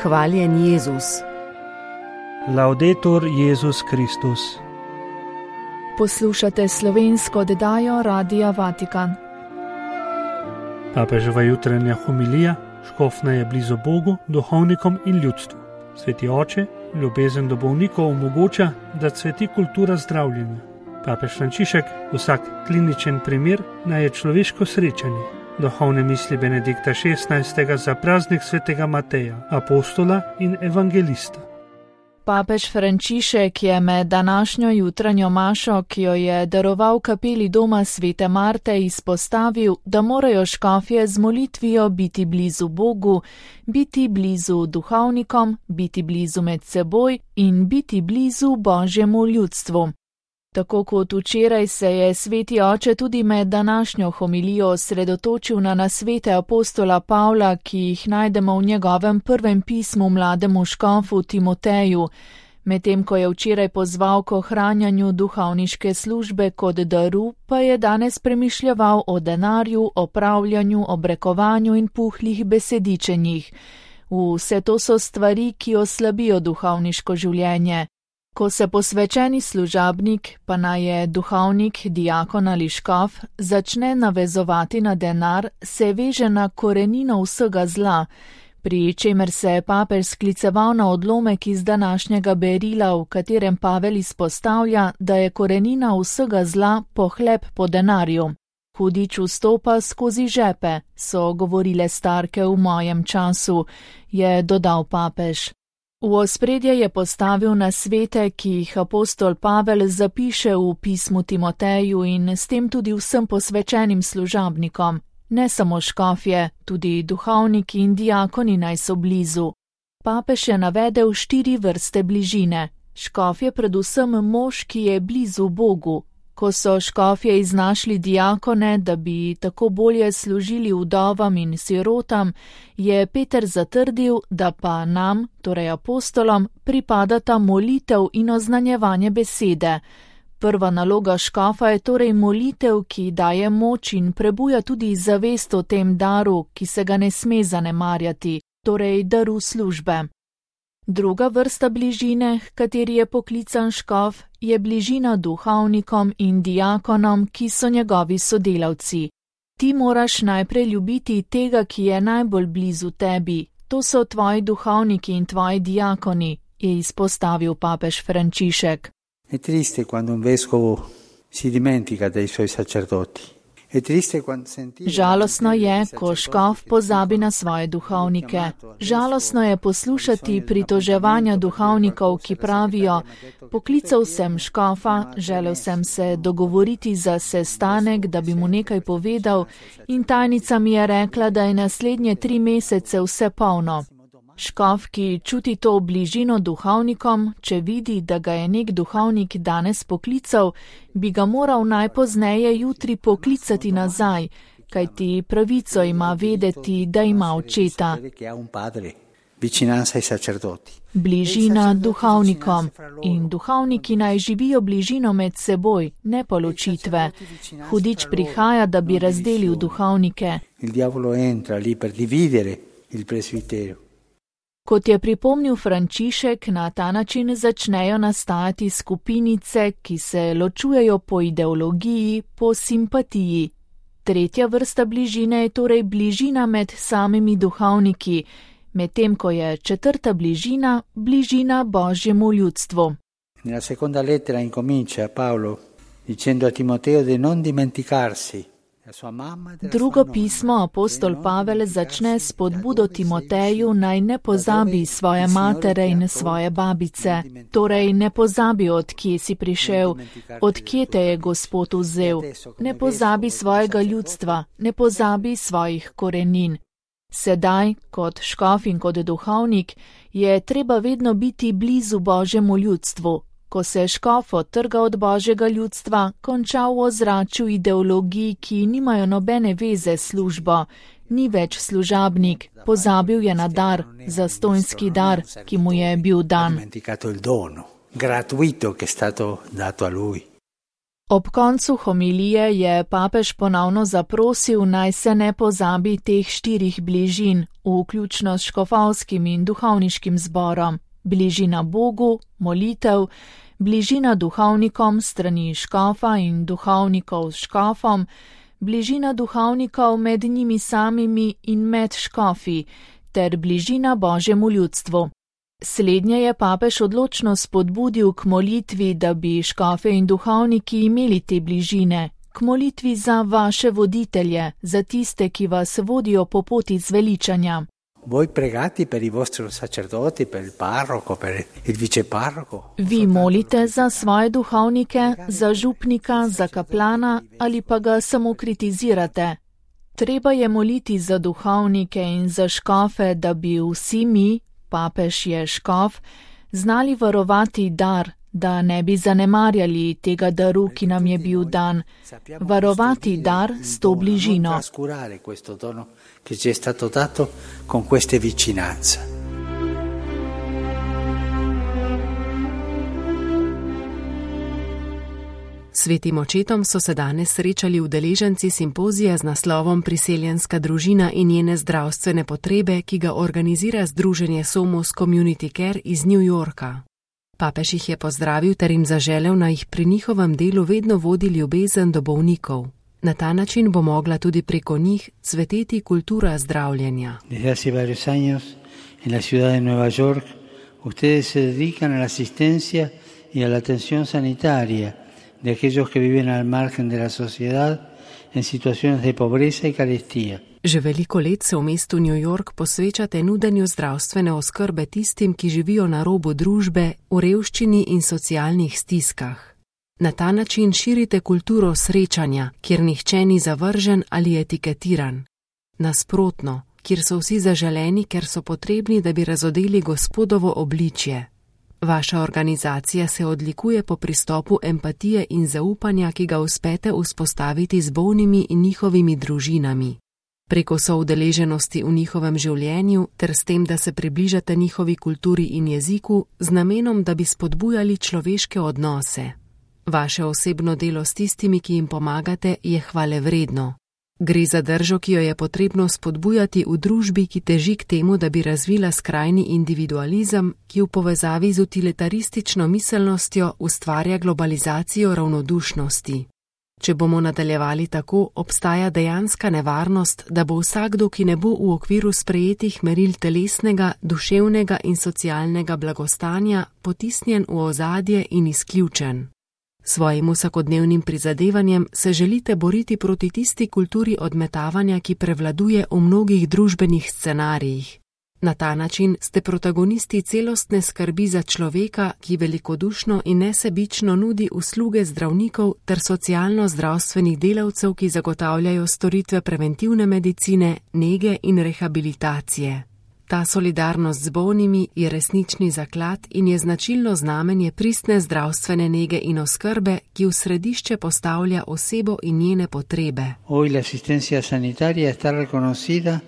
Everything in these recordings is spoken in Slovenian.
Hvaljen Jezus. Laudetur Jezus Kristus. Poslušate slovensko oddajo Radia Vatikan. Papeževa jutranja homilija: škofna je blizu Bogu, duhovnikom in ljudstvu. Sveti oče, ljubezen do bolnikov omogoča, da cveti kultura zdravljenja. Papež Frančišek: vsak kliničen primer naj je človeško srečanje. Duhovne misli Benedikta XVI. Za praznik svetega Mateja, apostola in evangelista. Papež Frančišek je med današnjo jutranjo mašo, ki jo je daroval kapeli doma svete Marte, izpostavil, da morajo škofje z molitvijo biti blizu Bogu, biti blizu duhovnikom, biti blizu med seboj in biti blizu Božjemu ljudstvu. Tako kot včeraj se je sveti oče tudi med današnjo homilijo osredotočil na nasvete apostola Pavla, ki jih najdemo v njegovem prvem pismu mlademu škofu Timoteju, medtem ko je včeraj pozval k ohranjanju duhovniške službe kot daru, pa je danes premišljeval o denarju, opravljanju, obrekovanju in puhlih besedičenjih. Vse to so stvari, ki oslabijo duhovniško življenje. Ko se posvečeni služabnik, pa naj je duhovnik, diakon ali škof, začne navezovati na denar, se veže na korenino vsega zla, pri čemer se je papež skliceval na odlomek iz današnjega berila, v katerem Pavel izpostavlja, da je korenina vsega zla pohleb po denarju. Hudič vstopa skozi žepe, so govorile starke v mojem času, je dodal papež. V ospredje je postavil nasvete, ki jih apostol Pavel zapiše v pismu Timoteju in s tem tudi vsem posvečenim služabnikom. Ne samo škofje, tudi duhovniki in diakoni naj so blizu. Papež je navedel 4 vrste bližine. Škof je predvsem mož, ki je blizu Bogu. Ko so škofje iznašli diakone, da bi tako bolje služili vdovam in sirotam, je Peter zatrdil, da pa nam, torej apostolom, pripadata molitev in oznanjevanje besede. Prva naloga škofa je torej molitev, ki daje moč in prebuja tudi zavest o tem daru, ki se ga ne sme zanemarjati, torej daru službe. Druga vrsta bližine, h kateri je poklican škof, je bližina duhovnikom in diakonom, ki so njegovi sodelavci. Ti moraš najprej ljubiti tega, ki je najbolj blizu tebi. To so tvoji duhovniki in tvoji diakoni, je izpostavil papež Frančišek. È triste quando un vescovo si dimentica dei suoi sacerdoti. Žalostno je, ko škof pozabi na svoje duhovnike. Žalostno je poslušati pritoževanja duhovnikov, ki pravijo: poklical sem škofa, želel sem se dogovoriti za sestanek, da bi mu nekaj povedal, in tajnica mi je rekla, da je naslednje 3 mesece vse polno. Škof, ki čuti to bližino duhovnikom, če vidi, da ga je nek duhovnik danes poklical, bi ga moral najpozneje jutri poklicati nazaj, kajti pravico ima vedeti, da ima očeta. Bližina duhovnikom. In duhovniki naj živijo bližino med seboj, ne pa ločitve. Hudič prihaja, da bi razdelil duhovnike. Kot je pripomnil Frančišek, na ta način začnejo nastajati skupinice, ki se ločujejo po ideologiji, po simpatiji. Tretja vrsta bližine je torej bližina med samimi duhovniki, medtem ko je četrta bližina, bližina Božjemu ljudstvu. Nella seconda lettera incomincia Paolo dicendo a Timoteo di non dimenticarsi. Drugo pismo apostol Pavel začne s spodbudo Timoteju, naj ne pozabi svoje matere in svoje babice. Torej ne pozabi, od kje si prišel, od kje te je Gospod vzel. Ne pozabi svojega ljudstva, ne pozabi svojih korenin. Sedaj, kot škof in kot duhovnik, je treba vedno biti blizu Božjemu ljudstvu. Ko se škof odtrga od Božjega ljudstva, konča v ozračju ideologij, ki nimajo nobene veze s službo. Ni več služabnik, pozabil je na dar, zastonjski dar, ki mu je bil dan. Ob koncu homilije je papež ponovno zaprosil, naj se ne pozabi teh 4 bližin, vključno s škofovskim in duhovniškim zborom: bližina Bogu, molitev, bližina duhovnikom strani škofa in duhovnikov s škofom, bližina duhovnikov med njimi samimi in med škofi, ter bližina Božjemu ljudstvu. Slednje je papež odločno spodbudil k molitvi, da bi škofe in duhovniki imeli te bližine, k molitvi za vaše voditelje, za tiste, ki vas vodijo po poti zveličanja. Voi pregate per i vostri sacerdoti, per il parroco, per il viceparroco. Vi molite za svoje duhovnike, za župnika, za kaplana ali pa ga samo kritizirate. Treba je moliti za duhovnike in za škofe, da bi vsi mi, papež je škof, znali varovati dar, da ne bi zanemarjali tega daru, ki nam je bil dan. Varovati dar s to bližino. Che ci è stato dato con queste vicinanze. Svetim očetom so se danes srečali udeleženci simpozija z naslovom Priseljenska družina in njene zdravstvene potrebe, ki ga organizira Združenje Somos Community Care iz New Yorka. Papež jih je pozdravil ter jim zaželel, naj jih pri njihovem delu vedno vodi ljubezen do bolnikov. Na ta način bo mogla tudi preko njih cveteti kultura zdravljenja. Desde hace varios años en la ciudad de Nueva York, ustedes se dedican a la asistencia y a la atención sanitaria de aquellos que viven al margen de la sociedad en situaciones de pobreza y carestía. Že veliko let se v mestu New York posvečate nudenju zdravstvene oskrbe tistim, ki živijo na robu družbe, v revščini in socialnih stiskah. Na ta način širite kulturo srečanja, kjer nihče ni zavržen ali etiketiran. Nasprotno, kjer so vsi zaželeni, ker so potrebni, da bi razodeli Gospodovo obličje. Vaša organizacija se odlikuje po pristopu empatije in zaupanja, ki ga uspete vzpostaviti z bolnimi in njihovimi družinami. Preko soudeleženosti v njihovem življenju ter s tem, da se približate njihovi kulturi in jeziku, z namenom, da bi spodbujali človeške odnose. Vaše osebno delo s tistimi, ki jim pomagate, je hvalevredno. Gre za držo, ki jo je potrebno spodbujati v družbi, ki teži k temu, da bi razvila skrajni individualizem, ki v povezavi z utilitaristično miselnostjo ustvarja globalizacijo ravnodušnosti. Če bomo nadaljevali tako, obstaja dejanska nevarnost, da bo vsakdo, ki ne bo v okviru sprejetih meril telesnega, duševnega in socialnega blagostanja, potisnjen v ozadje in izključen. Svojim vsakodnevnim prizadevanjem se želite boriti proti tisti kulturi odmetavanja, ki prevladuje v mnogih družbenih scenarijih. Na ta način ste protagonisti celostne skrbi za človeka, ki velikodušno in nesebično nudi usluge zdravnikov ter socialno-zdravstvenih delavcev, ki zagotavljajo storitve preventivne medicine, nege in rehabilitacije. Ta solidarnost z bolnimi je resnični zaklad in je značilno znamenje pristne zdravstvene nege in oskrbe, ki v središče postavlja osebo in njene potrebe. Hoy la asistencia sanitaria está reconocida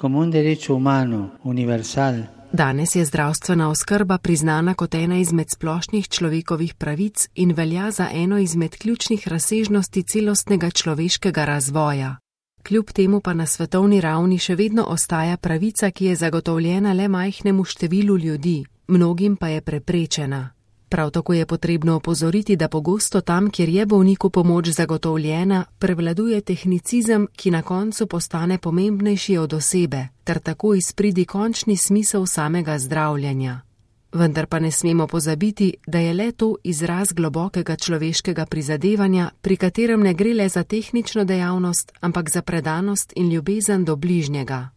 como un derecho humano, universal. Danes je zdravstvena oskrba priznana kot ena izmed splošnih človekovih pravic in velja za eno izmed ključnih razsežnosti celostnega človeškega razvoja. Kljub temu pa na svetovni ravni še vedno ostaja pravica, ki je zagotovljena le majhnemu številu ljudi, mnogim pa je preprečena. Prav tako je potrebno opozoriti, da pogosto tam, kjer je bolniku pomoč zagotovljena, prevladuje tehnicizem, ki na koncu postane pomembnejši od osebe, ter tako izpridi končni smisel samega zdravljenja. Vendar pa ne smemo pozabiti, da je le to izraz globokega človeškega prizadevanja, pri katerem ne gre le za tehnično dejavnost, ampak za predanost in ljubezen do bližnjega.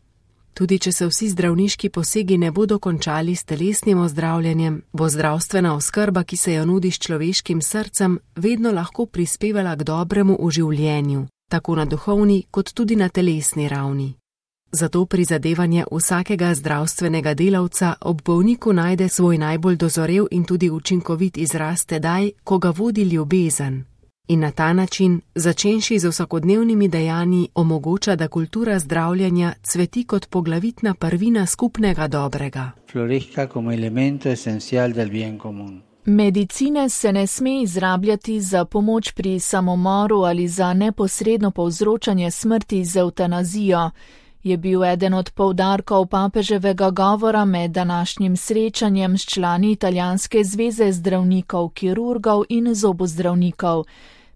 Tudi če se vsi zdravniški posegi ne bodo končali s telesnim ozdravljenjem, bo zdravstvena oskrba, ki se jo nudi s človeškim srcem, vedno lahko prispevala k dobremu v življenju, tako na duhovni kot tudi na telesni ravni. Zato prizadevanje vsakega zdravstvenega delavca ob bolniku najde svoj najbolj dozorel in tudi učinkovit izraz tedaj, ko ga vodi ljubezen. In na ta način, začenši z vsakodnevnimi dejanji, omogoča, da kultura zdravljenja cveti kot poglavitna prvina skupnega dobrega. Florezca como elemento esencial del bien común. Medicine se ne sme izrabljati za pomoč pri samomoru ali za neposredno povzročanje smrti z evtanazijo, je bil eden od poudarkov papeževega govora med današnjim srečanjem s člani Italijanske zveze zdravnikov, kirurgov in zobozdravnikov.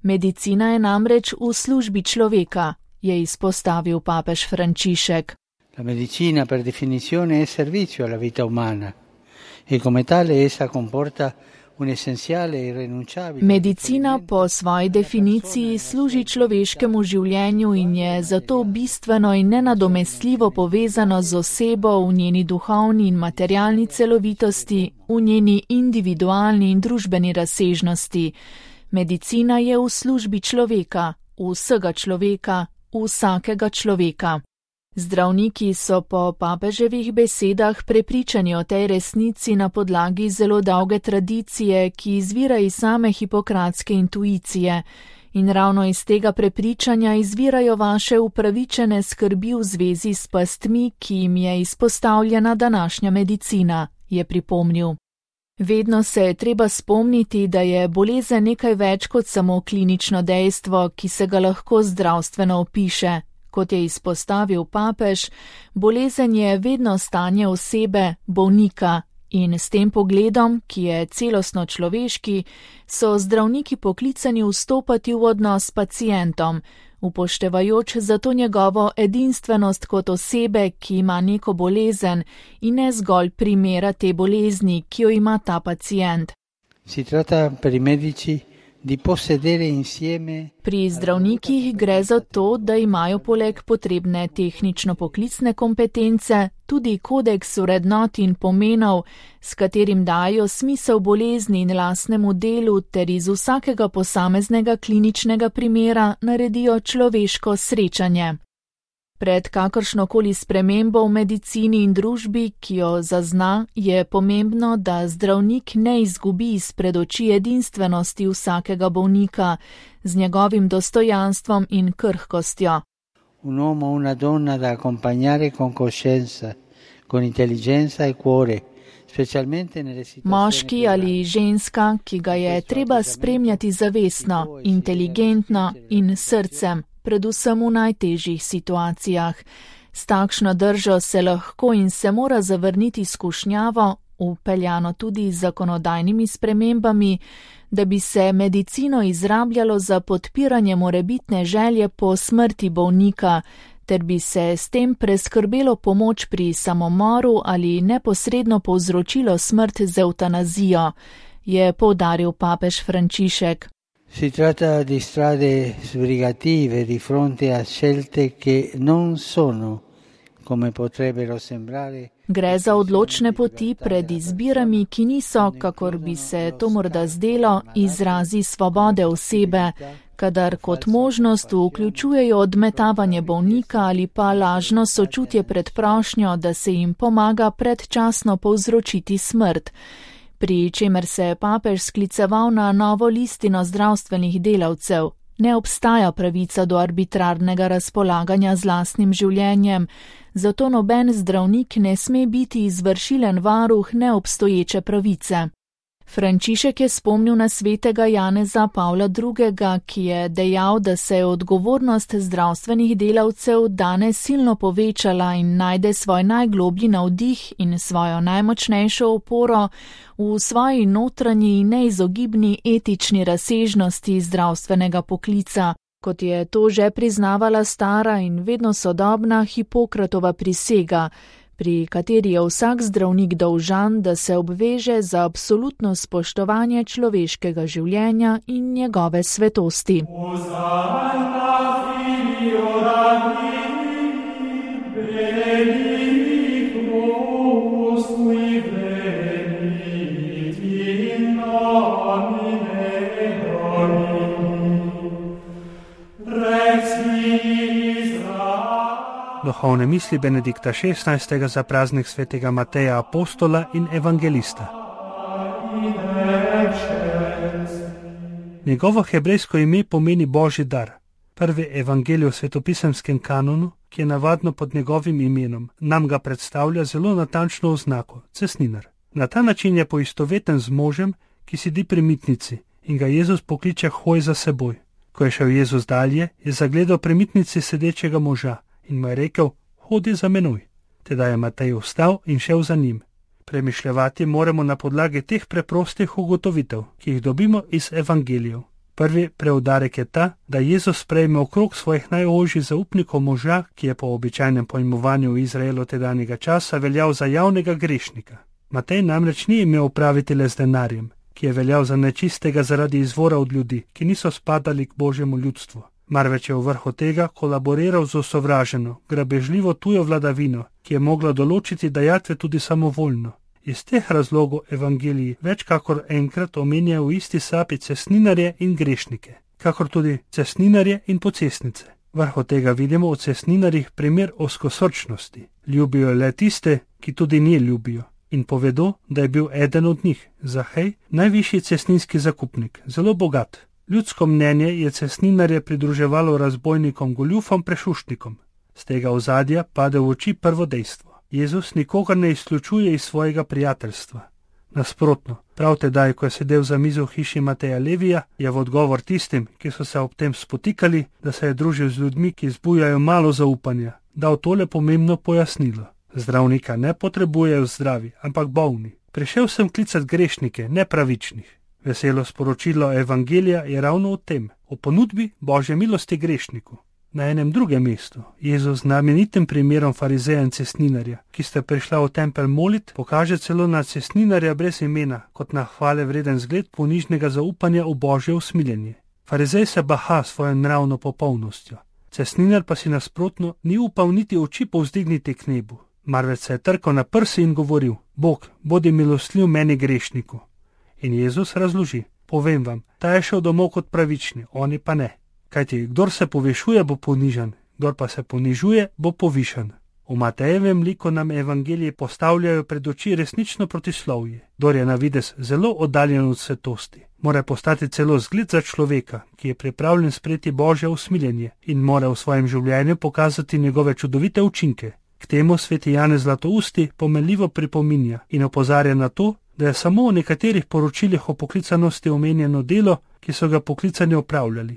Medicina je namreč v službi človeka, je izpostavil papež Frančišek. La medicina per definizione è servizio alla vita umana e come tale essa comporta un essenziale e irrinunciabile. Medicina po svoji definiciji služi človeškemu življenju in je zato bistveno in nenadomestljivo povezano z osebo v njeni duhovni in materialni celovitosti, v njeni individualni in družbeni razsežnosti. Medicina je v službi človeka, vsega človeka, vsakega človeka. Zdravniki so po papeževih besedah prepričani o tej resnici na podlagi zelo dolge tradicije, ki izvira iz same hipokratske intuicije. In ravno iz tega prepričanja izvirajo vaše upravičene skrbi v zvezi s pastmi, ki jim je izpostavljena današnja medicina, je pripomnil. Vedno se je treba spomniti, da je bolezen nekaj več kot samo klinično dejstvo, ki se ga lahko zdravstveno opiše. Kot je izpostavil papež, bolezen je vedno stanje osebe, bolnika, in s tem pogledom, ki je celostno človeški, so zdravniki poklicani vstopati v odnos s pacientom, upoštevajoč zato njegovo edinstvenost kot osebe, ki ima neko bolezen in ne zgolj primera te bolezni, ki jo ima ta pacient. Si tratta per i medici di possedere insieme. Pri zdravnikih gre za to, da imajo poleg potrebne tehnično-poklicne kompetence tudi kodeks vrednot in pomenov, s katerim dajo smisel bolezni in lastnemu delu ter iz vsakega posameznega kliničnega primera naredijo človeško srečanje. Pred kakršnokoli spremembo v medicini in družbi, ki jo zazna, je pomembno, da zdravnik ne izgubi izpred oči edinstvenosti vsakega bolnika z njegovim dostojanstvom in krhkostjo. Un uomo, una donna da accompagnare con coscienza, con intelligenza e cuore, specialmente nelle situazioni. Moški ali ženska, ki ga je treba spremljati zavestno, inteligentno in srcem, predvsem v najtežjih situacijah. S takšno držo se lahko in se mora zavrniti skušnjavo, vpeljano tudi z zakonodajnimi spremembami, da bi se medicino izrabljalo za podpiranje morebitne želje po smrti bolnika, ter bi se s tem preskrbelo pomoč pri samomoru ali neposredno povzročilo smrt z evtanazijo, je poudaril papež Frančišek. Si tratta di strade sbrigative di fronte a scelte che non sono come potrebbero sembrare. Gre za odločne poti pred izbirami, ki niso, kakor bi se to morda zdelo, izrazi svobode osebe, kadar kot možnost vključujejo odmetavanje bolnika ali pa lažno sočutje pred prošnjo, da se jim pomaga predčasno povzročiti smrt. Pri čemer se je papež skliceval na novo listino zdravstvenih delavcev. Ne obstaja pravica do arbitrarnega razpolaganja z lastnim življenjem, zato noben zdravnik ne sme biti izvršilen varuh neobstoječe pravice. Frančišek je spomnil na svetega Janeza Pavla II., ki je dejal, da se je odgovornost zdravstvenih delavcev danes silno povečala in najde svoj najgloblji navdih in svojo najmočnejšo oporo v svoji notranji neizogibni etični razsežnosti zdravstvenega poklica, kot je to že priznavala stara in vedno sodobna Hipokratova prisega, pri kateri je vsak zdravnik dolžan, da se obveže za absolutno spoštovanje človeškega življenja in njegove svetosti. Duhovne misli Benedikta XVI. Za praznik svetega Mateja Apostola in Evangelista. Njegovo hebrejsko ime pomeni Božji dar. Prvi evangelij v svetopisemskem kanonu, ki je navadno pod njegovim imenom, nam ga predstavlja zelo natančno oznako, cestninar. Na ta način je poistoveten z možem, ki sedi pri mitnici in ga Jezus pokliče hoj za seboj. Ko je šel Jezus dalje, je zagledal pri mitnici sedečega moža in mu je rekel, hodi za menoj. Tedaj je Matej vstal in šel za njim. Premišljevati moramo na podlagi teh preprostih ugotovitev, ki jih dobimo iz evangelijev. Prvi preudarek je ta, da Jezus sprejme okrog svojih najožjih zaupnikov moža, ki je po običajnem pojmovanju v Izraelu tedanjega časa veljal za javnega grešnika. Matej namreč ni imel opraviti le z denarjem, ki je veljal za nečistega zaradi izvora od ljudi, ki niso spadali k Božjemu ljudstvu. Marveč je v vrhu tega kolaboriral z osovraženo, grabežljivo tujo vladavino, ki je mogla določiti dajatve tudi samovoljno. Iz teh razlogov evangeliji več kakor enkrat omenjajo v isti sapi cestninarje in grešnike, kakor tudi cestninarje in pocestnice. Vrhu tega vidimo v cestninarjih primer ozkosrčnosti. Ljubijo le tiste, ki tudi nje ljubijo. In povedo, da je bil eden od njih, Zahej, najvišji cestninski zakupnik, zelo bogat. Ljudsko mnenje je cestninarje pridruževalo razbojnikom, goljufom, prešuštnikom. Z tega ozadja pade v oči prvo dejstvo. Jezus nikogar ne izključuje iz svojega prijateljstva. Nasprotno, prav tedaj, ko je sedel za mizo v hiši Mateja Levija, je v odgovor tistim, ki so se ob tem spotikali, da se je družil z ljudmi, ki zbujajo malo zaupanja, dal tole pomembno pojasnilo. Zdravnika ne potrebujejo zdravi, ampak bolni. Prišel sem klicat grešnike, ne pravičnih. Veselo sporočilo evangelija je ravno o tem, o ponudbi Božje milosti grešniku. Na enem drugem mestu Jezus znamenitim primerom farizeja in cestninarja, ki sta prišla v tempelj molit, pokaže celo na cestninarja brez imena, kot na hvale vreden zgled ponižnega zaupanja v Božje usmiljenje. Farizej se baha svojo nravno popolnostjo. Cestninar pa si nasprotno ni upal niti oči povzdigniti k nebu. Marveč se je trkal na prsi in govoril, Bog, bodi milostljiv meni grešniku. In Jezus razloži, povem vam, ta je šel domov kot pravični, oni pa ne. Kajti, kdor se povešuje, bo ponižan, kdor pa se ponižuje, bo povišan. V Matejevem liku nam evangeliji postavljajo pred oči resnično protislovje. Kdor je na videz zelo oddaljen od svetosti, mora postati celo zgled za človeka, ki je pripravljen sprejeti Božje usmiljenje in mora v svojem življenju pokazati njegove čudovite učinke. K temu sveti Janez Zlatousti pomenljivo pripominja in opozarja na to, da je samo v nekaterih poročilih o poklicanosti omenjeno delo, ki so ga poklicani opravljali.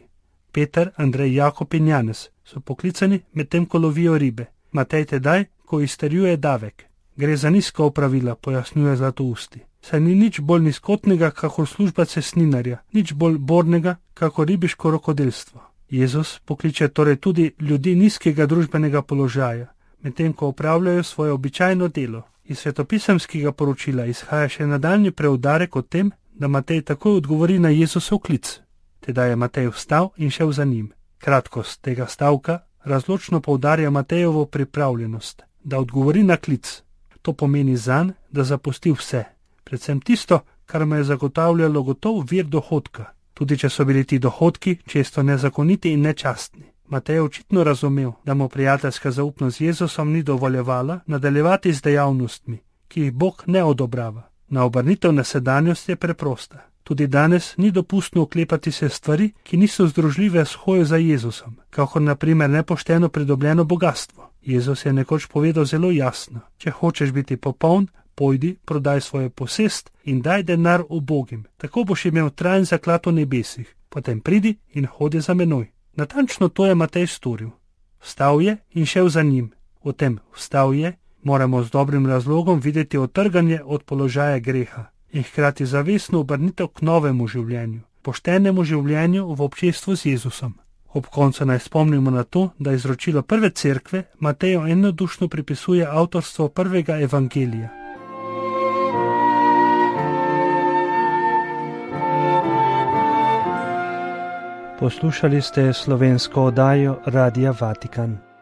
Peter, Andrej, Jakob in Janez so poklicani, medtem ko lovijo ribe. Matej tedaj, ko izterjuje davek. Gre za nizka opravila, pojasnjuje Zlatousti. Saj ni nič bolj nizkotnega, kakor služba cestninarja, nič bolj bornega, kakor ribiško rokodelstvo. Jezus pokliče torej tudi ljudi nizkega družbenega položaja, medtem ko opravljajo svoje običajno delo. Iz svetopisemskega poročila izhaja še nadaljnji preudarek o tem, da Matej takoj odgovori na Jezusov klic. Tedaj je Matej vstal in šel za njim. Kratkost tega stavka razločno poudarja Matejevo pripravljenost, da odgovori na klic. To pomeni zanj, da zapusti vse, predvsem tisto, kar mu je zagotavljalo gotov vir dohodka, tudi če so bili ti dohodki često nezakoniti in nečastni. Matej je očitno razumel, da mu prijateljska zaupnost z Jezusom ni dovoljevala nadaljevati z dejavnostmi, ki jih Bog ne odobrava. Na obrnitev na sedanjost je preprosta. Tudi danes ni dopustno oklepati se stvari, ki niso združljive s hojo za Jezusom, kakor na primer nepošteno pridobljeno bogatstvo. Jezus je nekoč povedal zelo jasno, če hočeš biti popoln, pojdi, prodaj svojo posest in daj denar ubogim, tako boš imel trajen zaklad v nebesih, potem pridi in hodi za menoj. Natančno to je Matej storil. Vstal je in šel za njim. V tem vstal je moramo z dobrim razlogom videti otrganje od položaja greha in hkrati zavestno obrnitev k novemu življenju, poštenemu življenju v občestvu z Jezusom. Ob koncu naj spomnimo na to, da izročilo prve cerkve Mateju enodušno pripisuje avtorstvo prvega evangelija. Poslušali ste slovensko oddajo Radia Vatikan.